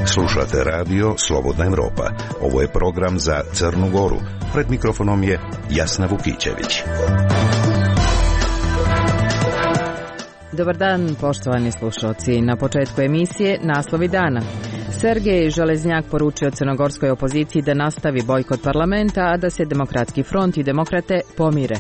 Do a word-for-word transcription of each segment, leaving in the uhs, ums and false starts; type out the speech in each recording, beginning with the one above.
Slušate radio Slobodna Evropa. Ovo je program za Crnu Goru. Pred mikrofonom je Jasna Vukićević. Dobar dan, poštovani slušalci. Na početku emisije naslovi dana. Sergej Železnjak poručio crnogorskoj opoziciji da nastavi bojkot parlamenta, a da se Demokratski front i demokrate pomire.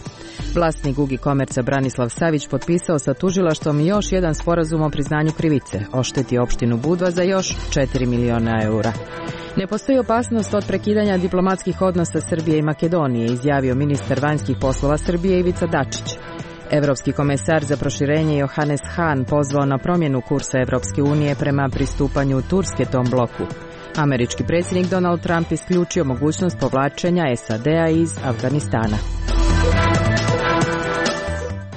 Vlasnik Gugi Komerca Branislav Savić potpisao sa tužilaštvom još jedan sporazum o priznanju krivice. Ošteti opštinu Budva za još četiri miliona eura. Ne postoji opasnost od prekidanja diplomatskih odnosa Srbije i Makedonije, izjavio ministar vanjskih poslova Srbije Ivica Dačić. Evropski komesar za proširenje Johannes Hahn pozvao na promjenu kursa Evropske unije prema pristupanju Turske tom bloku. Američki predsjednik Donald Trump isključio mogućnost povlačenja S A D-a iz Afganistana.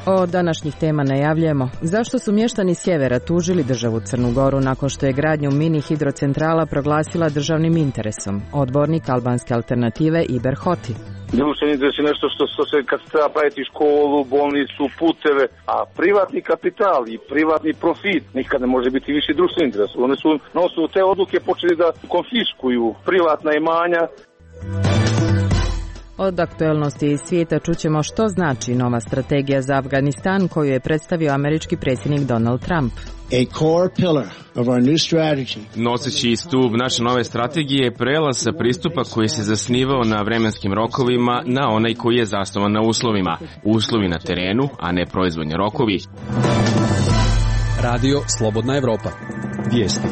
O današnjih tema najavljujemo. Zašto su mještani sjevera tužili državu Crnu Goru nakon što je gradnju mini hidrocentrala proglasila državnim interesom? Odbornik albanske alternative Iber Hoti. Društveni interes je nešto što, što se kad treba praviti školu, bolnicu, puteve, a privatni kapital i privatni profit nikad ne može biti viši društveni interes. Oni su na osnovu te odluke počeli da konfiskuju privatna imanja. Od aktuelnosti iz svijeta čućemo što znači nova strategija za Afganistan koju je predstavio američki predsjednik Donald Trump. A core pillar of our new strategy. Noseći stup naše nove strategije je prelaz sa pristupa koji se zasnivao na vremenskim rokovima na onaj koji je zasnovan na uslovima. Uslovi na terenu, a ne proizvodni rokovi. Radio Slobodna Evropa. Vijesti.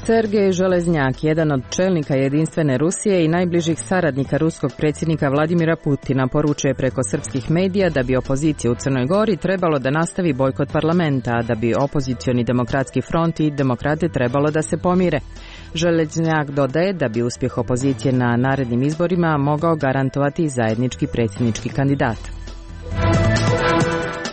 Sergej Železnjak, jedan od čelnika jedinstvene Rusije i najbližih saradnika ruskog predsjednika Vladimira Putina, poručuje preko srpskih medija da bi opozicija u Crnoj Gori trebalo da nastavi bojkot parlamenta, a da bi opozicioni Demokratski front i demokrate trebalo da se pomire. Železnjak dodaje da bi uspjeh opozicije na narednim izborima mogao garantovati zajednički predsjednički kandidat.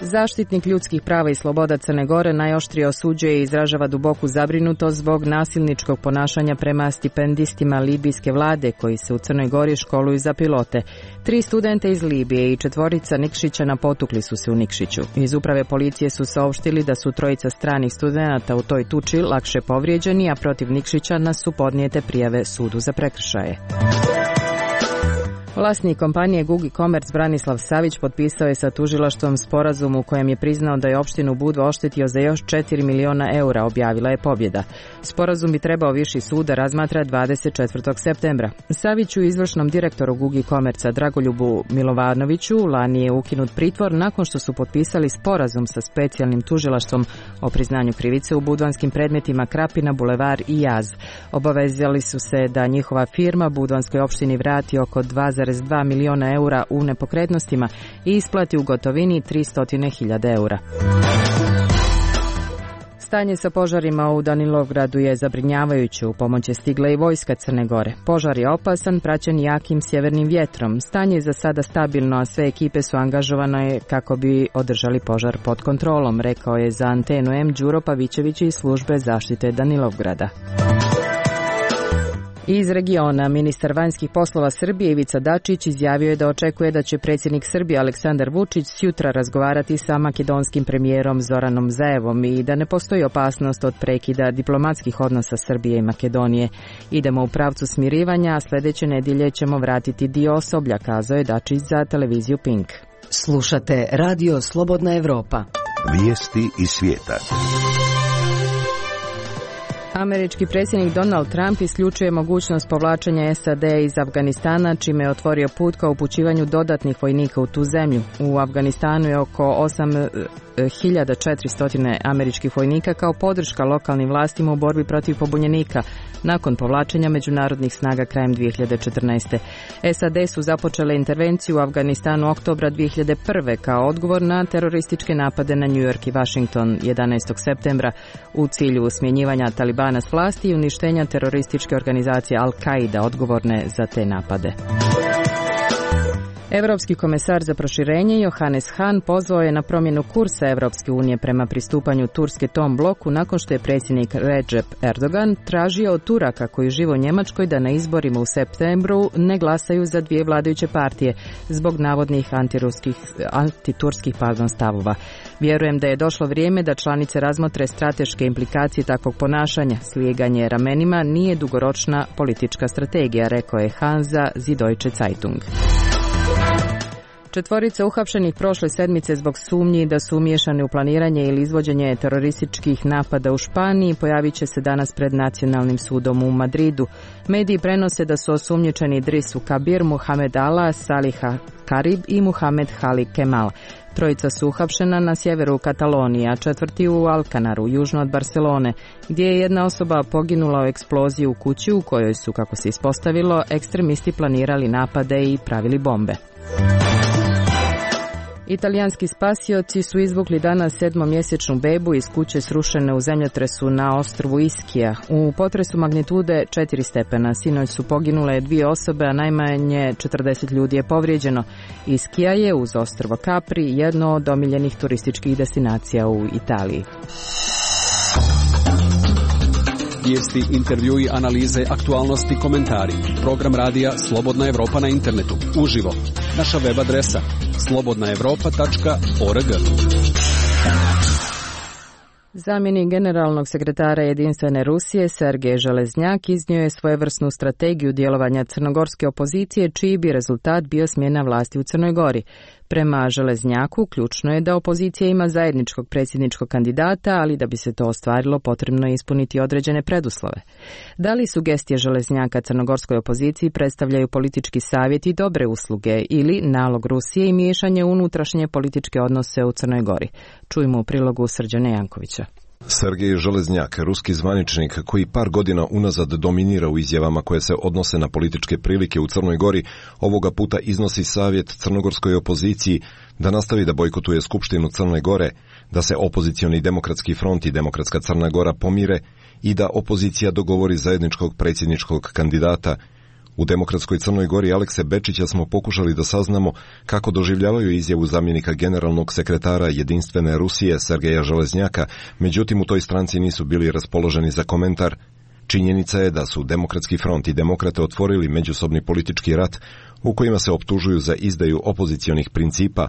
Zaštitnik ljudskih prava i sloboda Crne Gore najoštrije osuđuje i izražava duboku zabrinutost zbog nasilničkog ponašanja prema stipendistima libijske vlade koji se u Crnoj Gori školuju za pilote. Tri studenta iz Libije i četvorica Nikšićana potukli su se u Nikšiću. Iz uprave policije su saopštili da su trojica stranih studenata u toj tuči lakše povrijeđeni, a protiv Nikšićana su podnijete prijave sudu za prekršaje. Vlasnik kompanije Gugi Komerc Branislav Savić potpisao je sa tužilaštvom sporazum u kojem je priznao da je opštinu Budva oštetio za još četiri miliona eura, objavila je Pobjeda. Sporazum bi trebao viši sud da razmatra dvadeset četvrtog septembra. Saviću, izvršnom direktoru Gugi Komerca Dragoljubu Milovanoviću, lani je ukinut pritvor nakon što su potpisali sporazum sa specijalnim tužilaštvom o priznanju krivice u budvanskim predmetima Krapina, Bulevar i Jaz. Obavezali su se da njihova firma budvanskoj opštini vrati oko dva zarez dva miliona eura u nepokretnostima i isplati u gotovini tristo hiljada eura. Stanje sa požarima u Danilovgradu je zabrinjavajuće. U pomoć je stigla i vojska Crne Gore. Požar je opasan, praćen jakim sjevernim vjetrom. Stanje je za sada stabilno, a sve ekipe su angažovane kako bi održali požar pod kontrolom, rekao je za Antenu M Đuro Pavićević iz službe zaštite Danilovgrada. Iz regiona, ministar vanjskih poslova Srbije Ivica Dačić izjavio je da očekuje da će predsjednik Srbije Aleksandar Vučić sutra razgovarati sa makedonskim premijerom Zoranom Zaevom i da ne postoji opasnost od prekida diplomatskih odnosa Srbije i Makedonije. Idemo u pravcu smirivanja, a sljedeće nedjelje ćemo vratiti dio osoblja, kazao je Dačić za televiziju Pink. Slušate Radio Slobodna Evropa. Vijesti iz svijeta. Američki predsjednik Donald Trump isključuje mogućnost povlačenja S A D iz Afganistana, čime je otvorio put ka upućivanju dodatnih vojnika u tu zemlju. U Afganistanu je oko osam hiljada četiristo američkih vojnika kao podrška lokalnim vlastima u borbi protiv pobunjenika nakon povlačenja međunarodnih snaga krajem dvije hiljade četrnaeste. S A D su započele intervenciju u Afganistanu oktobra dvije hiljade prve kao odgovor na terorističke napade na New York i Washington jedanaestog septembra u cilju smjenjivanja Talibana s vlasti i uništenja terorističke organizacije Al-Qaida odgovorne za te napade. Europski komesar za proširenje Johannes Hahn pozvao je na promjenu kursa Europske unije prema pristupanju Turske tom bloku nakon što je predsjednik Recep Erdogan tražio od Turaka koji žive u Njemačkoj da na izborima u septembru ne glasaju za dvije vladajuće partije zbog navodnih antiturskih pardon, stavova. Vjerujem da je došlo vrijeme da članice razmotre strateške implikacije takvog ponašanja. Slijeganje ramenima nije dugoročna politička strategija, rekao je Hahn za Süddeutsche Zeitung. Četvorica uhapšenih prošle sedmice zbog sumnji da su umiješani u planiranje ili izvođenje terorističkih napada u Španiji pojavit će se danas pred Nacionalnim sudom u Madridu. Mediji prenose da su osumnjičeni Idrisu Kabir, Muhamed Ala, Saliha Karib i Muhamed Hali Kemal. Trojica su uhapšena na sjeveru Katalonije, a četvrti u Alcanaru, južno od Barcelone, gdje je jedna osoba poginula u eksploziji u kući u kojoj su, kako se ispostavilo, ekstremisti planirali napade i pravili bombe. Italijanski spasioci su izvukli danas sedmomjesečnu bebu iz kuće srušene u zemljotresu na ostrvu Ischia. U potresu magnitude četiri stepena sinoć su poginule dvije osobe, a najmanje četrdeset ljudi je povrijeđeno. Ischia je uz ostrvo Capri jedno od omiljenih turističkih destinacija u Italiji. Vijesti, intervjui, analize, aktualnosti, komentari. Program radija Slobodna Evropa na internetu. Uživo. Naša web adresa slobodna evropa tačka org. Zamjenik generalnog sekretara Jedinstvene Rusije Sergej Železnjak iznio je svojevrsnu strategiju djelovanja crnogorske opozicije, čiji bi rezultat bio smjena vlasti u Crnoj Gori. Prema Železnjaku, ključno je da opozicija ima zajedničkog predsjedničkog kandidata, ali da bi se to ostvarilo potrebno je ispuniti određene preduslove. Da li sugestije Železnjaka crnogorskoj opoziciji predstavljaju politički savjet i dobre usluge ili nalog Rusije i miješanje u unutrašnje političke odnose u Crnoj Gori? Čujmo u prilogu Srđana Jankovića. Sergej Železnjak, ruski zvaničnik koji par godina unazad dominira u izjavama koje se odnose na političke prilike u Crnoj Gori, ovoga puta iznosi savjet crnogorskoj opoziciji da nastavi da bojkotuje Skupštinu Crne Gore, da se opozicioni demokratski front i Demokratska Crna Gora pomire i da opozicija dogovori zajedničkog predsjedničkog kandidata. U Demokratskoj Crnoj Gori Alekse Bečića smo pokušali da saznamo kako doživljavaju izjavu zamjenika generalnog sekretara Jedinstvene Rusije Sergeja Železnjaka, međutim u toj stranci nisu bili raspoloženi za komentar. Činjenica je da su Demokratski front i Demokrate otvorili međusobni politički rat u kojima se optužuju za izdaju opozicionih principa.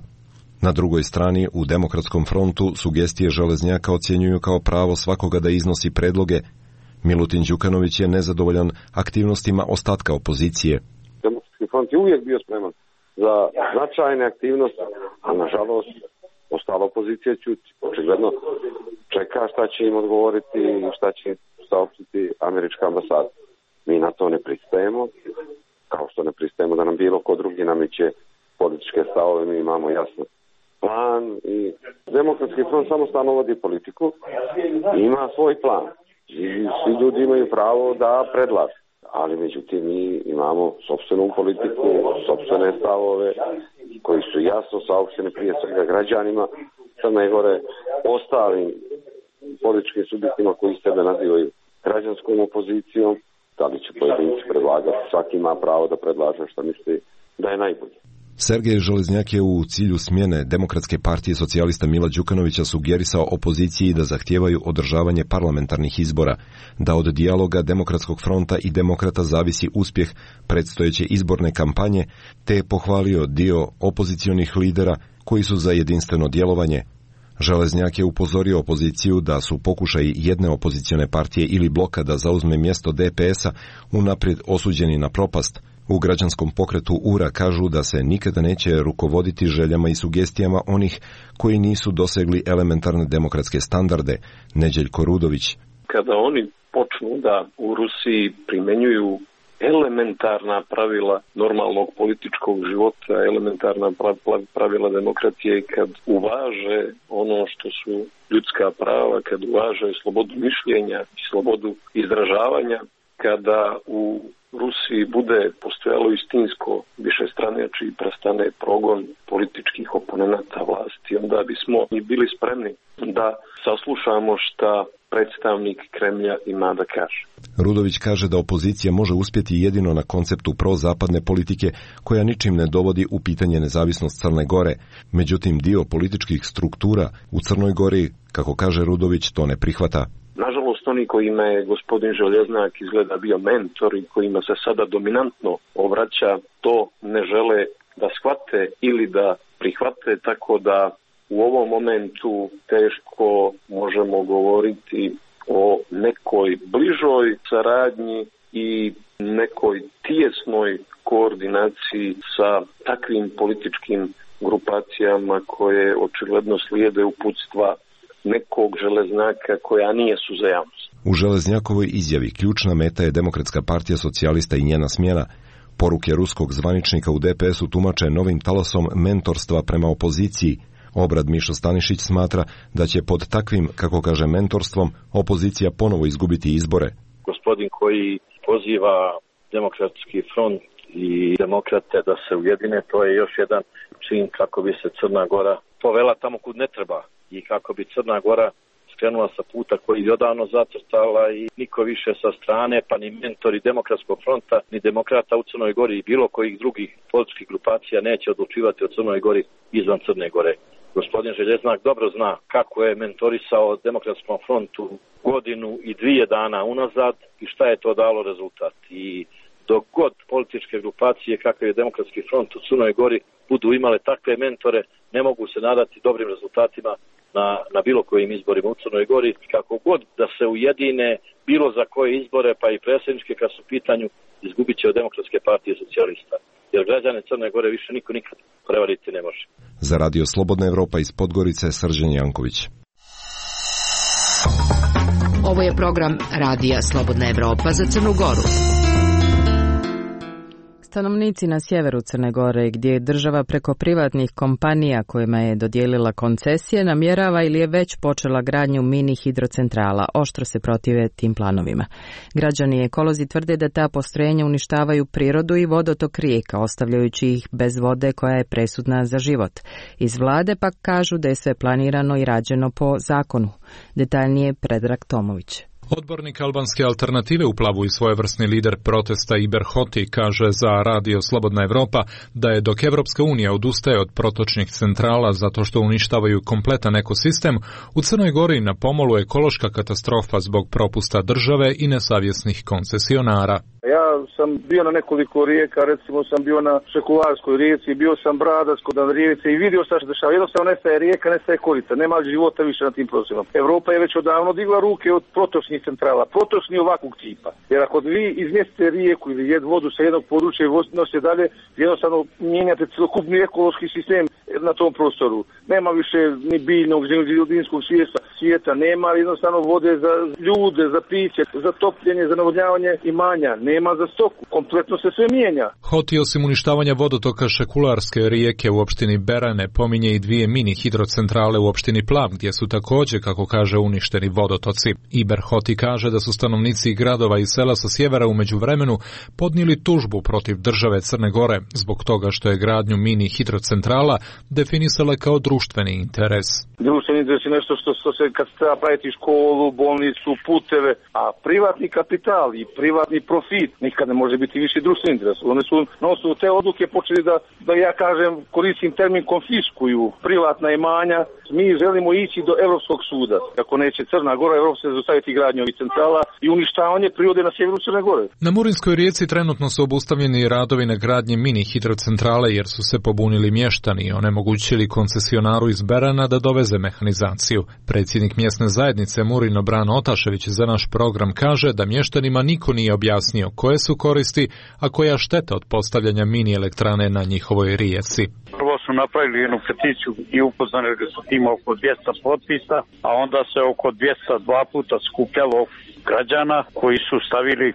Na drugoj strani, u Demokratskom frontu, sugestije Železnjaka ocjenjuju kao pravo svakoga da iznosi predloge. Milutin Đukanović je nezadovoljan aktivnostima ostatka opozicije. Demokratski front je uvijek bio spreman za značajne aktivnosti, a nažalost ostala opozicija ćuti. Očigledno čeka šta će im odgovoriti i šta će saopštiti američka ambasada. Mi na to ne pristajemo, kao što ne pristajemo da nam bilo ko drugi nameće političke stavove. Mi imamo jasno plan i Demokratski front samostalno vodi politiku i ima svoj plan. I svi ljudi imaju pravo da predlažu, ali međutim mi imamo sopstvenu politiku, sopstvene stavove koji su jasno saopšteni prije svega građanima Crne Gore, ostalim političkim subjektima koji sebe nazivaju građanskom opozicijom. Da li će pojedinci predlagati, svaki ima pravo da predlaže što misli da je najbolje. Sergej Železnjak je u cilju smjene Demokratske partije socijalista Mila Đukanovića sugerisao opoziciji da zahtijevaju održavanje parlamentarnih izbora, da od dijaloga Demokratskog fronta i Demokrata zavisi uspjeh predstojeće izborne kampanje, te je pohvalio dio opozicionih lidera koji su za jedinstveno djelovanje. Železnjak je upozorio opoziciju da su pokušaji jedne opozicione partije ili bloka da zauzme mjesto D P S-a unaprijed osuđeni na propast. U građanskom pokretu U R A kažu da se nikada neće rukovoditi željama i sugestijama onih koji nisu dosegli elementarne demokratske standarde. Neđeljko Rudović. Kada oni počnu da u Rusiji primjenjuju elementarna pravila normalnog političkog života, elementarna pravila demokracije i kad uvaže ono što su ljudska prava, kad uvaže slobodu mišljenja i slobodu izražavanja, kada u Rusiji bude postojalo istinsko višestranačje i prestane progon političkih oponenata vlasti, onda bismo i bili spremni da saslušamo šta predstavnik Kremlja ima da kaže. Rudović kaže da opozicija može uspjeti jedino na konceptu prozapadne politike koja ničim ne dovodi u pitanje nezavisnost Crne Gore. Međutim, dio političkih struktura u Crnoj Gori, kako kaže Rudović, to ne prihvata. Nažalost, oni kojima je gospodin Željeznak izgleda bio mentor i kojima se sada dominantno obraća, to ne žele da shvate ili da prihvate, tako da u ovom momentu teško možemo govoriti o nekoj bližoj saradnji i nekoj tijesnoj koordinaciji sa takvim političkim grupacijama koje očigledno slijede uputstva nekog Železnjaka koja nije su za javnost. U Železnjakovoj izjavi ključna meta je Demokratska partija socijalista i njena smjena. Poruke ruskog zvaničnika u D P S-u tumače novim talasom mentorstva prema opoziciji. Obrad Mišo Stanišić smatra da će pod takvim, kako kaže, mentorstvom opozicija ponovo izgubiti izbore. Gospodin koji poziva Demokratski front i demokrate da se ujedine, to je još jedan čin kako bi se Crna Gora povela tamo kud ne treba i kako bi Crna Gora skrenula sa puta koji je odavno zacrtala i niko više sa strane, pa ni mentori Demokratskog fronta, ni demokrata u Crnoj Gori i bilo kojih drugih političkih grupacija neće odlučivati o Crnoj Gori izvan Crne Gore. Gospodin Željeznak dobro zna kako je mentorisao Demokratskom frontu godinu i dvije dana unazad i šta je to dalo rezultat. I dok god političke grupacije kakav je Demokratski front u Crnoj Gori budu imale takve mentore, ne mogu se nadati dobrim rezultatima na, na bilo kojim izborima u Crnoj Gori. Kako god da se ujedine bilo za koje izbore, pa i predsjedničke kad su u pitanju, izgubit će od Demokratske partije socijalista. Jer građane Crne Gore više niko nikad prevariti ne može. Za Radio Slobodna Evropa iz Podgorice, Srđan Janković. Ovo je program Radija Slobodna Evropa za Crnu Goru. Stanovnici na sjeveru Crne Gore, gdje je država preko privatnih kompanija kojima je dodijelila koncesije, namjerava ili je već počela gradnju mini hidrocentrala, oštro se protive tim planovima. Građani i ekolozi tvrde da ta postrojenja uništavaju prirodu i vodotok rijeka, ostavljajući ih bez vode koja je presudna za život. Iz vlade pak kažu da je sve planirano i rađeno po zakonu. Detaljnije Predrag Tomović. Odbornik albanske alternative u Plavu i svojevrsni lider protesta Iber Hoti kaže za Radio Slobodna Evropa da je dok Evropska unija odustaje od protočnih centrala zato što uništavaju kompletan ekosistem, u Crnoj Gori na pomolu ekološka katastrofa zbog propusta države i nesavjesnih koncesionara. Ja sam bio na nekoliko rijeka, recimo sam bio na Šekularskoj rijeci, bio sam Bradaskoj na rijeci i vidio sam što se dešava. Jednostavno nestaje rijeka, nestaje korica, nema života više na tim prostorima. Evropa je već odavno digla ruke od protočnih centrala, protočni ovakvog tipa. Jer ako vi izmjestite rijeku ili jed vodu sa jednog područja i nosite dalje, jednostavno mijenjate celokupni ekološki sistem na tom prostoru. Nema više ni biljnog, ni ljudinskog svijeta, svijeta, nema jednostavno vode za ljude, za piće, za topljenje, za navodnjavanje imanja, nema za stoku. Kompletno se sve mijenja. Hoti osim uništavanja vodotoka Šekularske rijeke u opštini Berane pominje i dvije mini hidrocentrale u opštini Plav, gdje su također, kako kaže, uništeni vodotoci. Iber Hoti kaže da su stanovnici gradova i sela sa sjevera u međuvremenu podnijeli tužbu protiv države Crne Gore zbog toga što je gradnju mini hidrocentrala definisala kao društveni interes. Društveni interes je nešto što, što se kad treba praviti školu, bolnicu, puteve, a privatni kapital i privatni profit nikad ne može biti viši društveni interes. Oni su na osnovu te odluke počeli da, da ja kažem, koristim termin konfiskuju privatna imanja. Mi želimo ići do Europskog suda. Ako neće Crna Gora, Evropa se zaustaviti gradnju ovih centrala i uništavanje prirode na sjeveru Crne Gore. Na Murinskoj rijeci trenutno su obustavljeni radovi na gradnji mini hidrocentrale jer su se pobunili mještani i onemogućili koncesionaru iz Berana da doveze mehanizaciju. Predsjednik mjesne zajednice Murino Brano Otašević za naš program kaže da mještanima niko nije objasnio koje su koristi, a koja šteta od postavljanja mini elektrane na njihovoj rijeci. Prvo su napravili jednu peticiju i upoznali da su ima oko dvjesto potpisa, a onda se oko dvjesto dva puta skupljalo građana koji su stavili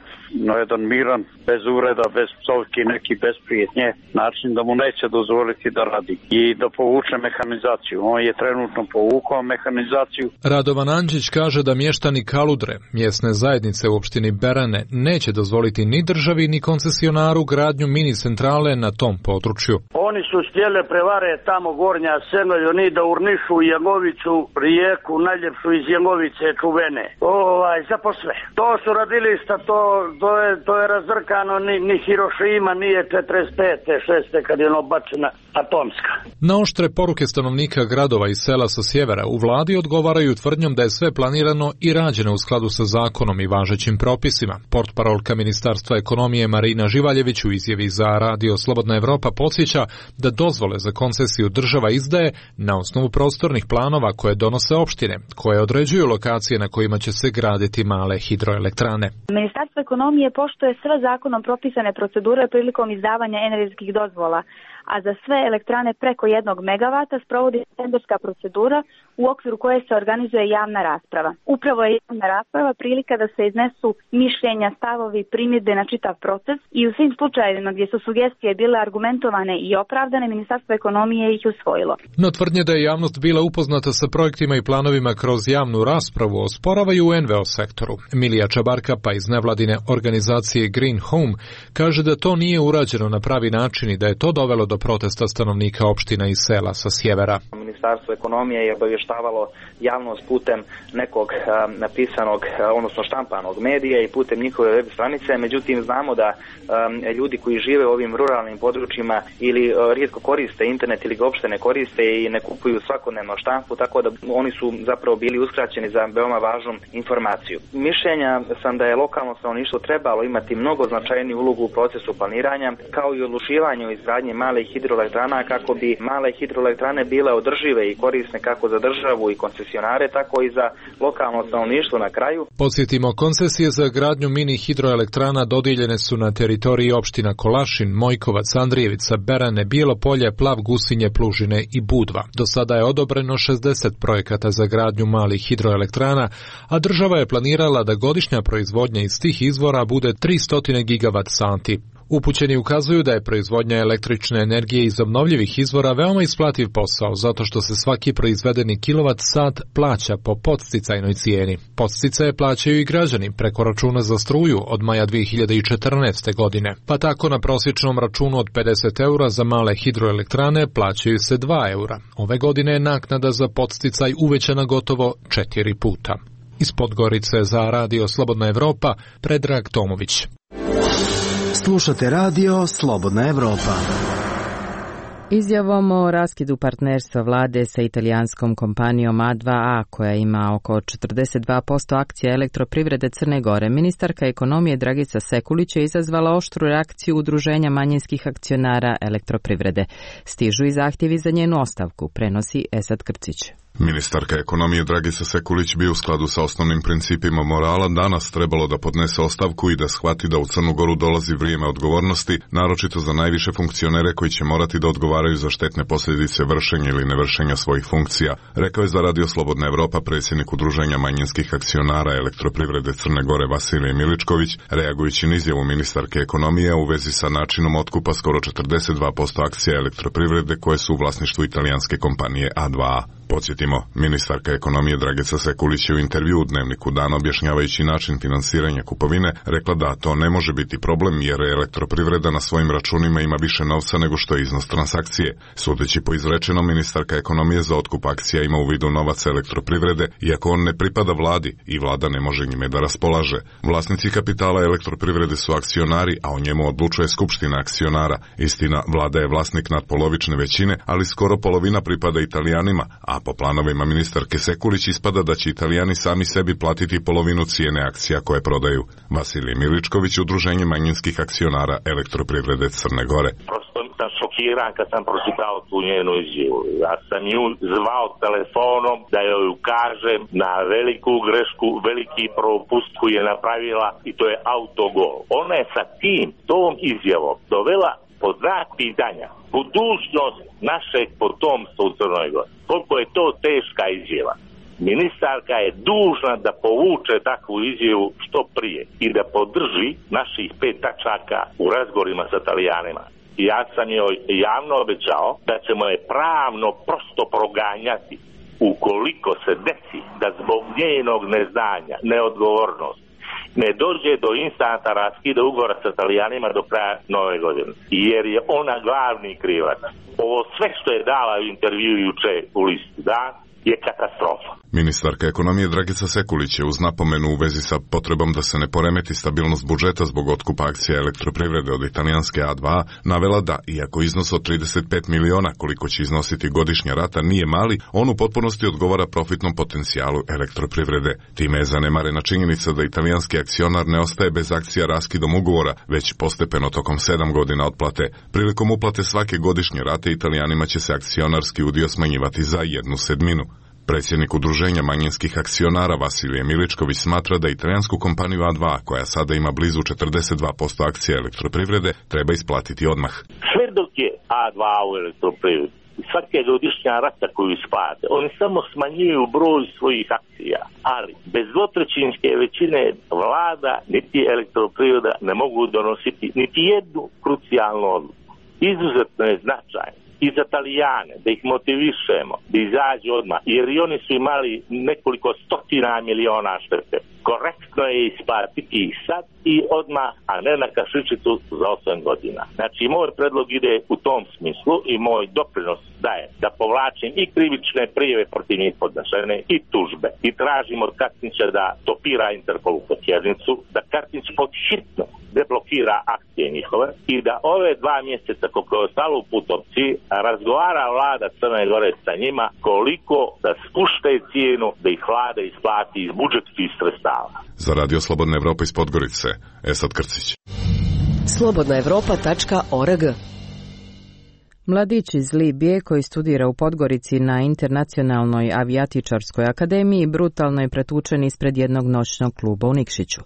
na jedan miran, bez uvreda, bez psovki, neki besprijetnje način da mu neće dozvoliti da radi i da povuče mehanizaciju. On je trenutno povukao mehanizaciju. Radovan Anđić kaže da mještani Kaludre, mjesne zajednice u opštini Berane, neće dozvoliti ni državi ni koncesionaru gradnju mini centrale na tom području. On oni su htjeli prevare tamo Gornja Senolju, ni da urnišu Jangovicu, rijeku najljepšu iz Jangovice čuvene. Ovaj, za posve. To su radilišta, to, to, je, to je razrkano, ni, ni Hirošima nije četrdeset pete, šeste kad je ono bačena atomska. Na oštre poruke stanovnika gradova i sela sa sjevera u vladi odgovaraju tvrdnjom da je sve planirano i rađeno u skladu sa zakonom i važećim propisima. Portparolka Ministarstva ekonomije Marina Živaljević u izjavi za Radio Slobodna Evropa podsjeća da dozvole za koncesiju država izdaje na osnovu prostornih planova koje donose opštine, koje određuju lokacije na kojima će se graditi male hidroelektrane. Ministarstvo ekonomije poštuje sve zakonom propisane procedure prilikom izdavanja energetskih dozvola, a za sve elektrane preko jednog megavata sprovodi tenderska procedura u okviru koje se organizuje javna rasprava. Upravo je javna rasprava prilika da se iznesu mišljenja, stavovi, primjedbe na čitav proces i u svim slučajevima gdje su sugestije bile argumentovane i opravdane, Ministarstvo ekonomije ih usvojilo. No tvrdnje da je javnost bila upoznata sa projektima i planovima kroz javnu raspravu osporavaju u en ve o sektoru. Milija Čabarka pa iz nevladine organizacije Green Home kaže da to nije urađeno na pravi način i da je to dovelo do protesta stanovnika opština i sela sa sjevera. Ministarstvo ekonomije je obavještavalo javnost putem nekog a, napisanog, a, odnosno štampanog medija i putem njihove web stranice, međutim znamo da a, ljudi koji žive u ovim ruralnim područjima ili a, rijetko koriste internet ili ga uopšte ne koriste i ne kupuju svakodnevno štampu, tako da oni su zapravo bili uskraćeni za veoma važnu informaciju. Mišljenja sam da je lokalno stanovništvo trebalo imati mnogo značajniju ulogu u procesu planiranja, kao i odlučivanju izgradnje malih hidroelektrana kako bi male hidroelektrane bile održive i korisne kako za državu i koncesionare, tako i za lokalno stanovništvo na kraju. Podsjetimo, koncesije za gradnju mini hidroelektrana dodijeljene su na teritoriji opština Kolašin, Mojkovac, Andrijevica, Berane, Bijelo Polje, Plav, Gusinje, Plužine i Budva. Do sada je odobreno šezdeset projekata za gradnju malih hidroelektrana, a država je planirala da godišnja proizvodnja iz tih izvora bude tristo gigavat sati. Upućeni ukazuju da je proizvodnja električne energije iz obnovljivih izvora veoma isplativ posao, zato što se svaki proizvedeni kilovat sat plaća po podsticajnoj cijeni. Podsticaje plaćaju i građani preko računa za struju od maja dvije hiljade četrnaeste. godine. Pa tako na prosječnom računu od pedeset eura za male hidroelektrane plaćaju se dva eura. Ove godine je naknada za podsticaj uvećana gotovo četiri puta. Iz Podgorice za Radio Slobodna Evropa, Predrag Tomović. Slušate Radio Slobodna Evropa. Izjavom o raskidu partnerstva vlade sa italijanskom kompanijom A dva A, koja ima oko četrdeset dva posto akcija elektroprivrede Crne Gore, ministarka ekonomije Dragica Sekulić je izazvala oštru reakciju udruženja manjinskih akcionara elektroprivrede. Stižu i zahtjevi za njenu ostavku, prenosi Esad Krcić. Ministarka ekonomije Dragica Sekulić bi u skladu sa osnovnim principima morala danas trebalo da podnese ostavku i da shvati da u Crnu Goru dolazi vrijeme odgovornosti, naročito za najviše funkcionere koji će morati da odgovaraju za štetne posljedice vršenja ili nevršenja svojih funkcija, rekao je za Radio Slobodna Evropa predsjednik udruženja manjinskih akcionara elektroprivrede Crne Gore Vasilije Miličković, reagujući na izjavu ministarke ekonomije u vezi sa načinom otkupa skoro četrdeset dva posto akcija elektroprivrede koje su u vlasništvu italijanske kompanije A dva A. Podsjetimo, ministarka ekonomije Dragica Sekulić je u intervju u Dnevniku Dana objašnjavajući način finansiranja kupovine rekla da to ne može biti problem jer elektroprivreda na svojim računima ima više novca nego što je iznos transakcije. Sudeći po izrečenom, ministarka ekonomije za otkup akcija ima u vidu novac elektroprivrede, iako on ne pripada vladi i vlada ne može njime da raspolaže. Vlasnici kapitala elektroprivrede su akcionari, a o njemu odlučuje skupština akcionara. Istina, vlada je vlasnik nadpolovične većine, ali skoro polovina pripada Italijanima, a po planovima ministarke Sekulić ispada da će Italijani sami sebi platiti polovinu cijene akcija koje prodaju. Vasilij Miličković, udruženje manjinskih akcionara elektroprivrede Crne Gore. Prosto sam šokiran kad sam pročitao tu njenu izjavu. Ja sam nju zvao telefonom da joj ukažem na veliku grešku, veliki propust koji je napravila i to je autogol. Ona je sa tim, tom izjavom dovela pod znak pitanja budućnost našeg potomstva u Crnoj Gori. Koliko je to teška izjava. Ministarka je dužna da povuče takvu izjavu što prije i da podrži naših pet tačaka u razgovorima sa Italijanima. Ja sam joj javno obećao da ćemo je pravno prosto proganjati ukoliko se desi da zbog njenog neznanja, neodgovornosti ne dođe do instanta raskida ugovora sa Italijanima do kraja nove godine. Jer je ona glavni krivac. Ovo sve što je dala u intervju juče u listu Dan je katastrofa. Ministarka ekonomije Dragica Sekulić je uz napomenu u vezi sa potrebom da se ne poremeti stabilnost budžeta zbog otkupa akcija elektroprivrede od italijanske A dva navela da, iako iznos od trideset pet miliona koliko će iznositi godišnja rata nije mali, on u potpunosti odgovara profitnom potencijalu elektroprivrede. Time je zanemarena činjenica da italijanski akcionar ne ostaje bez akcija raskidom ugovora, već postepeno tokom sedam godina otplate. Prilikom uplate svake godišnje rate Italijanima će se akcionarski udio smanjivati za jednu sedminu. Predsjednik udruženja manjinskih akcionara Vasilije Miličković smatra da italijansku kompaniju A dva, koja sada ima blizu četrdeset dva posto akcija elektroprivrede, treba isplatiti odmah. Sve dok je A dva u elektroprivredi, svake godišnja rata koju isplate, oni samo smanjuju broj svojih akcija, ali bez dvotrećinske većine vlada niti elektroprivreda ne mogu donositi niti jednu krucijalnu odluku. Izuzetno je značajno i za Italijane, da ih motivišemo, da izađu odmah, jer i oni su imali nekoliko stotina miliona štete. Korektno je isplatiti ih sad i odmah, a ne na kašičicu za osam godina. Znači, moj predlog ide u tom smislu i moj doprinos daje da povlačim i krivične prijave protiv njih podnesene i tužbe. I tražim od Katnića da topira Interpolu potjernicu, da Katnić pod hitno deblokira akcije njihove i da ove dva mjeseca koliko je ostalo u Putovci razgovara vlada Crne Gore sa njima koliko da spušte cijenu da ih vlada isplati iz budžetskih sredstava. Za Radio Slobodna Evropa iz Podgorice, Esad Krcić. slobodna evropa tačka org. Mladić iz Libije koji studira u Podgorici na Internacionalnoj avijatičarskoj akademiji brutalno je pretučen ispred jednog noćnog kluba u Nikšiću.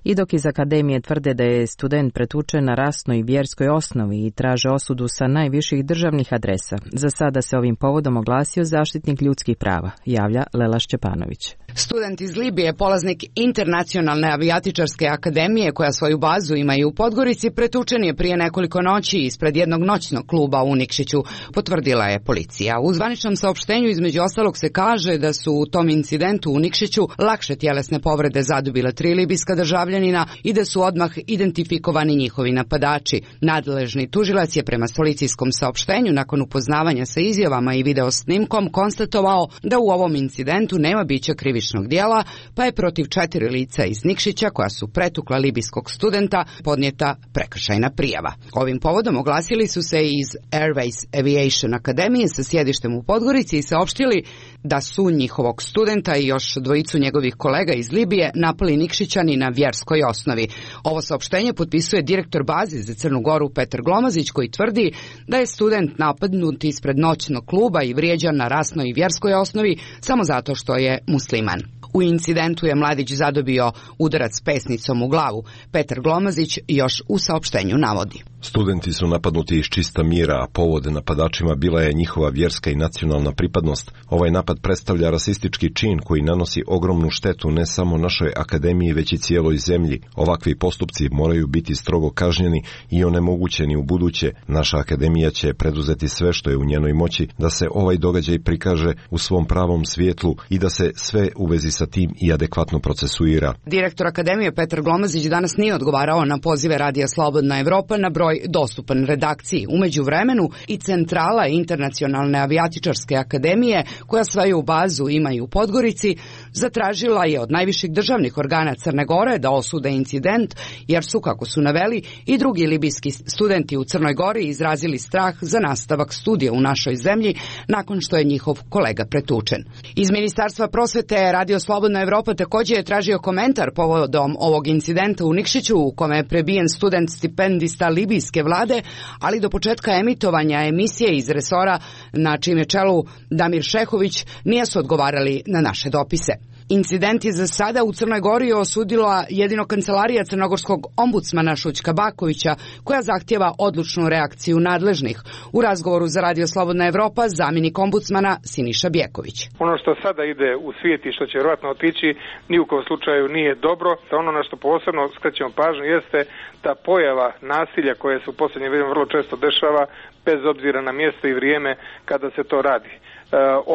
I dok iz akademije tvrde da je student pretučen na rasnoj i vjerskoj osnovi i traže osudu sa najviših državnih adresa, za sada se ovim povodom oglasio zaštitnik ljudskih prava, javlja Lela Šćepanović. Student iz Libije, polaznik Internacionalne avijatičarske akademije koja svoju bazu ima i u Podgorici, pretučen je prije nekoliko noći ispred jednog noćnog kluba u Nikšiću, potvrdila je policija. U zvaničnom saopštenju između ostalog se kaže da su u tom incidentu u Nikšiću lakše tjelesne povrede zadobile tri libijska državljanina i da su odmah identifikovani njihovi napadači. Nadležni tužilac je prema policijskom saopštenju nakon upoznavanja sa izjavama i video snimkom konstatovao da u ovom incidentu nema bića krivičnog dijela, pa je protiv četiri lica iz Nikšića koja su pretukla libijskog studenta podnijeta prekršajna prijava. Ovim povodom oglasili su se iz Airways Aviation Akademije sa sjedištem u Podgorici i saopštili da su njihovog studenta i još dvojicu njegovih kolega iz Libije napali Nikšićani na vjerskoj osnovi. Ovo saopštenje potpisuje direktor baze za Crnu Goru Petar Glomazić koji tvrdi da je student napadnut ispred noćnog kluba i vrijeđan na rasnoj i vjerskoj osnovi samo zato što je musliman. U incidentu je mladić zadobio udarac pesnicom u glavu. Petar Glomazić još u saopštenju navodi. Studenti su napadnuti iz čista mira, a povod napadačima bila je njihova vjerska i nacionalna pripadnost. Ovaj napad predstavlja rasistički čin koji nanosi ogromnu štetu ne samo našoj akademiji, već i cijeloj zemlji. Ovakvi postupci moraju biti strogo kažnjeni i onemogućeni u buduće. Naša akademija će preduzeti sve što je u njenoj moći da se ovaj događaj prikaže u svom pravom svjetlu i da se sve u vezi sa tim i adekvatno procesuira. Direktor Akademije Petar Glomazić danas nije odgovarao na pozive Radija Slobodna Evropa na broj dostupan redakciji. U međuvremenu i centrala Internacionalne avijatičarske akademije, koja svoju bazu ima i u Podgorici, zatražila je od najviših državnih organa Crne Gore da osude incident, jer su, kako su naveli, i drugi libijski studenti u Crnoj Gori izrazili strah za nastavak studija u našoj zemlji nakon što je njihov kolega pretučen. Iz Ministarstva prosvete Radio Slobodna Evropa također je tražio komentar povodom ovog incidenta u Nikšiću u kome je prebijen student stipendista libijske vlade, ali do početka emitovanja emisije iz resora na čijem je čelu Damir Šehović nisu odgovarali na naše dopise. Incident je za sada u Crnoj Gori osudila jedino kancelarija crnogorskog ombudsmana Šućka Bakovića, koja zahtjeva odlučnu reakciju nadležnih. U razgovoru za Radio Slobodna Evropa zamjenik ombudsmana Siniša Bjeković. Ono što sada ide u svijet i što će vjerojatno otići ni u kom slučaju nije dobro. Ono na što posebno skrećemo pažnju jeste ta pojava nasilja koje se u posljednje vrijeme vrlo često dešava bez obzira na mjesto i vrijeme kada se to radi.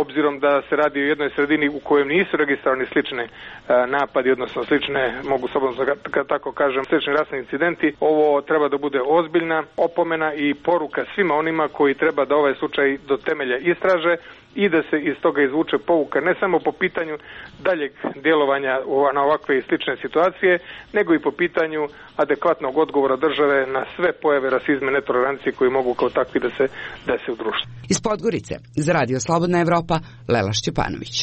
obzirom da se radi o jednoj sredini u kojem nisu registrovani slične napadi, odnosno slične, mogu slobodno tako kažem, slični rasni incidenti. Ovo treba da bude ozbiljna opomena i poruka svima onima koji treba da ovaj slučaj do temelja istraže i da se iz toga izvuče pouka ne samo po pitanju daljeg djelovanja na ovakve i slične situacije, nego i po pitanju adekvatnog odgovora države na sve pojave rasizma i netolerancije koji mogu kao takvi da se dese u društvu. Iz Podgorice, za Radio Slobodna Evropa, Lela Šćepanović.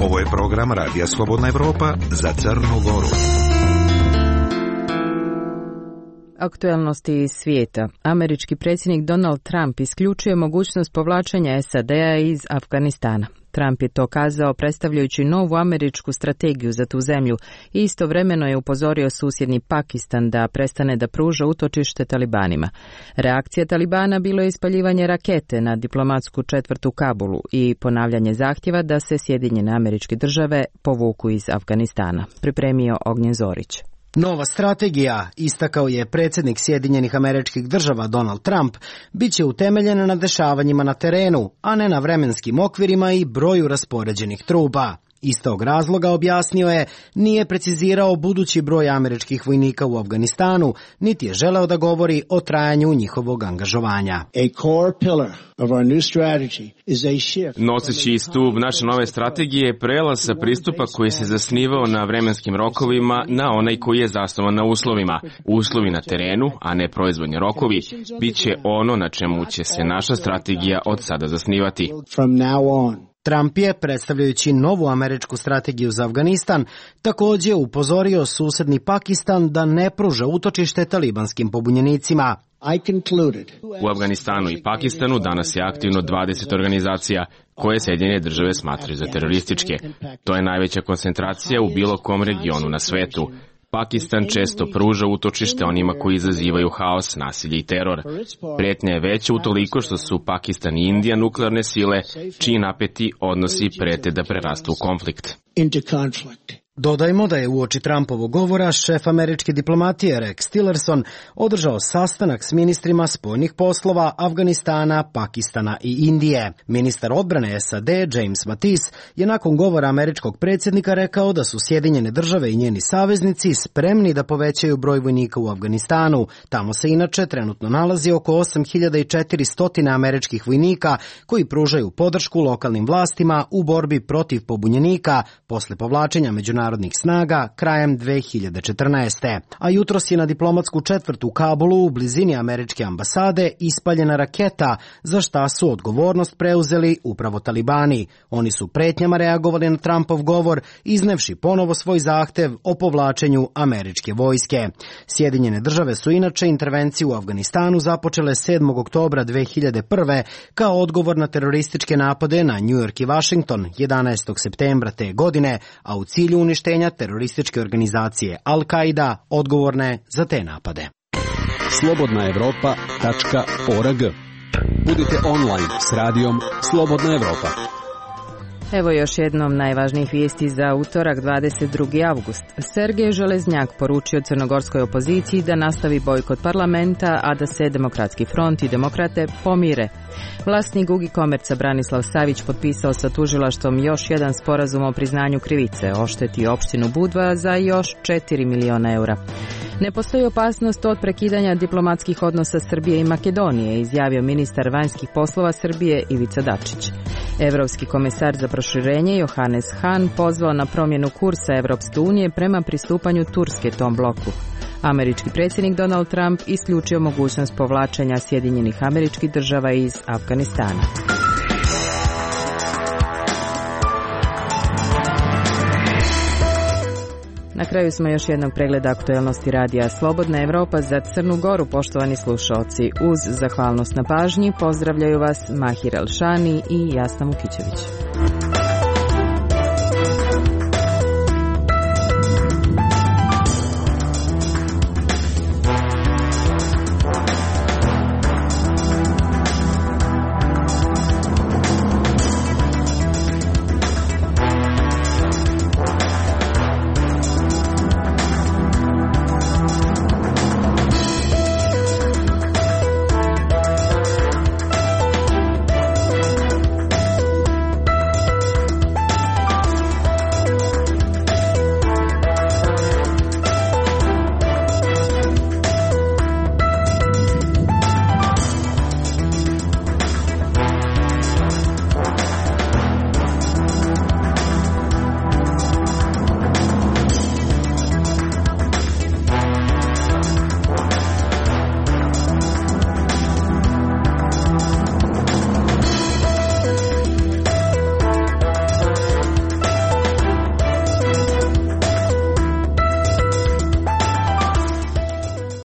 Ovo je program Radija Slobodna Evropa za Crnu Goru. Aktuelnosti iz svijeta. Američki predsjednik Donald Trump isključuje mogućnost povlačenja S A D-a iz Afganistana. Trump je to kazao predstavljajući novu američku strategiju za tu zemlju i istovremeno je upozorio susjedni Pakistan da prestane da pruža utočište talibanima. Reakcija Talibana bilo je ispaljivanje rakete na diplomatsku četvrt u Kabulu i ponavljanje zahtjeva da se Sjedinjene Američke Države povuku iz Afganistana. Pripremio Ognjen Zorić. Nova strategija, istakao je predsjednik Sjedinjenih Američkih Država Donald Trump, bit će utemeljena na dešavanjima na terenu, a ne na vremenskim okvirima i broju raspoređenih trupa. Iz tog razloga, objasnio je, nije precizirao budući broj američkih vojnika u Afganistanu, niti je želeo da govori o trajanju njihovog angažovanja. A core pillar of our new strategy is a shift. Noseći stup naše nove strategije je prelaz sa pristupa koji se zasnivao na vremenskim rokovima na onaj koji je zasnovan na uslovima. Uslovi na terenu, a ne proizvodni rokovi, bit će ono na čemu će se naša strategija od sada zasnivati. From now on. Trump je, predstavljajući novu američku strategiju za Afganistan, također upozorio susjedni Pakistan da ne pruža utočište talibanskim pobunjenicima. U Afganistanu i Pakistanu danas je aktivno dvadeset organizacija koje Sjedinjene Države smatraju za terorističke. To je najveća koncentracija u bilo kom regionu na svetu. Pakistan često pruža utočište onima koji izazivaju haos, nasilje i teror. Prijetnja je veća utoliko što su Pakistan i Indija nuklearne sile, čiji napeti odnosi prete da prerastu u konflikt. Dodajmo da je uoči Trumpovog govora šef američke diplomatije Rex Tillerson održao sastanak s ministrima spoljnih poslova Afganistana, Pakistana i Indije. Ministar odbrane S A D James Mattis je nakon govora američkog predsjednika rekao da su Sjedinjene Države i njeni saveznici spremni da povećaju broj vojnika u Afganistanu. Tamo se inače trenutno nalazi oko osam hiljada četiristo američkih vojnika koji pružaju podršku lokalnim vlastima u borbi protiv pobunjenika posle povlačenja međunarodnih narodnih snaga krajem dve hiljade četrnaeste. A jutros je na diplomatsku četvrt u Kabulu u blizini američke ambasade ispaljena raketa, za šta su odgovornost preuzeli upravo talibani. Oni su pretnjama reagovali na Trumpov govor, iznevši ponovo svoj zahtev o povlačenju američke vojske. Sjedinjene Države su inače intervenciju u Afganistanu započele sedmog oktobra dve hiljade prve. kao odgovor na terorističke napade na New York i Washington jedanaestog septembra te godine, a u cilju uništenja terorističke organizacije Al-Qaida odgovorne za te napade. slobodna evropa tačka org. Budite online s radijom Slobodna Evropa. Evo još jednom najvažnijih vijesti za utorak dvadeset drugi avgust. Sergej Železnjak poručio crnogorskoj opoziciji da nastavi bojkot parlamenta, a da se Demokratski front i demokrate pomire. Vlasnik Ugicomerca Branislav Savić potpisao sa tužilaštvom još jedan sporazum o priznanju krivice, oštetio opštinu Budva za još četiri miliona eura. Ne postoji opasnost od prekidanja diplomatskih odnosa Srbije i Makedonije, izjavio ministar vanjskih poslova Srbije Ivica Dačić. Evropski komesar za proširenje Johannes Hahn pozvao na promjenu kursa Evropske unije prema pristupanju Turske tom bloku. Američki predsjednik Donald Trump isključio mogućnost povlačenja Sjedinjenih Američkih Država iz Afganistana. Na kraju smo još jednog pregleda aktuelnosti radija Slobodna Evropa za Crnu Goru, poštovani slušaoci. Uz zahvalnost na pažnji pozdravljaju vas Mahir Elšani i Jasna Mukićević.